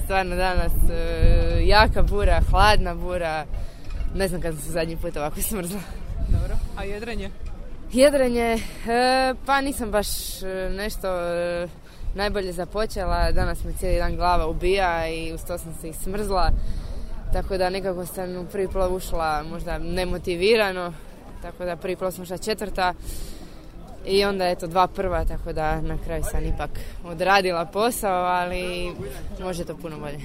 stvarno danas jaka bura, hladna bura. Ne znam kad sam se zadnji put ovako smrzla. Dobro, a jedrenje? Jedrenje, pa nisam baš nešto najbolje započela. Danas me cijeli dan glava ubija i uz to sam se i smrzla. Tako da nekako sam u prvi plov ušla možda nemotivirano. Tako da prvi plov sam ušla 4. I onda eto 2 prva, tako da na kraju sam ipak odradila posao, ali može to puno bolje.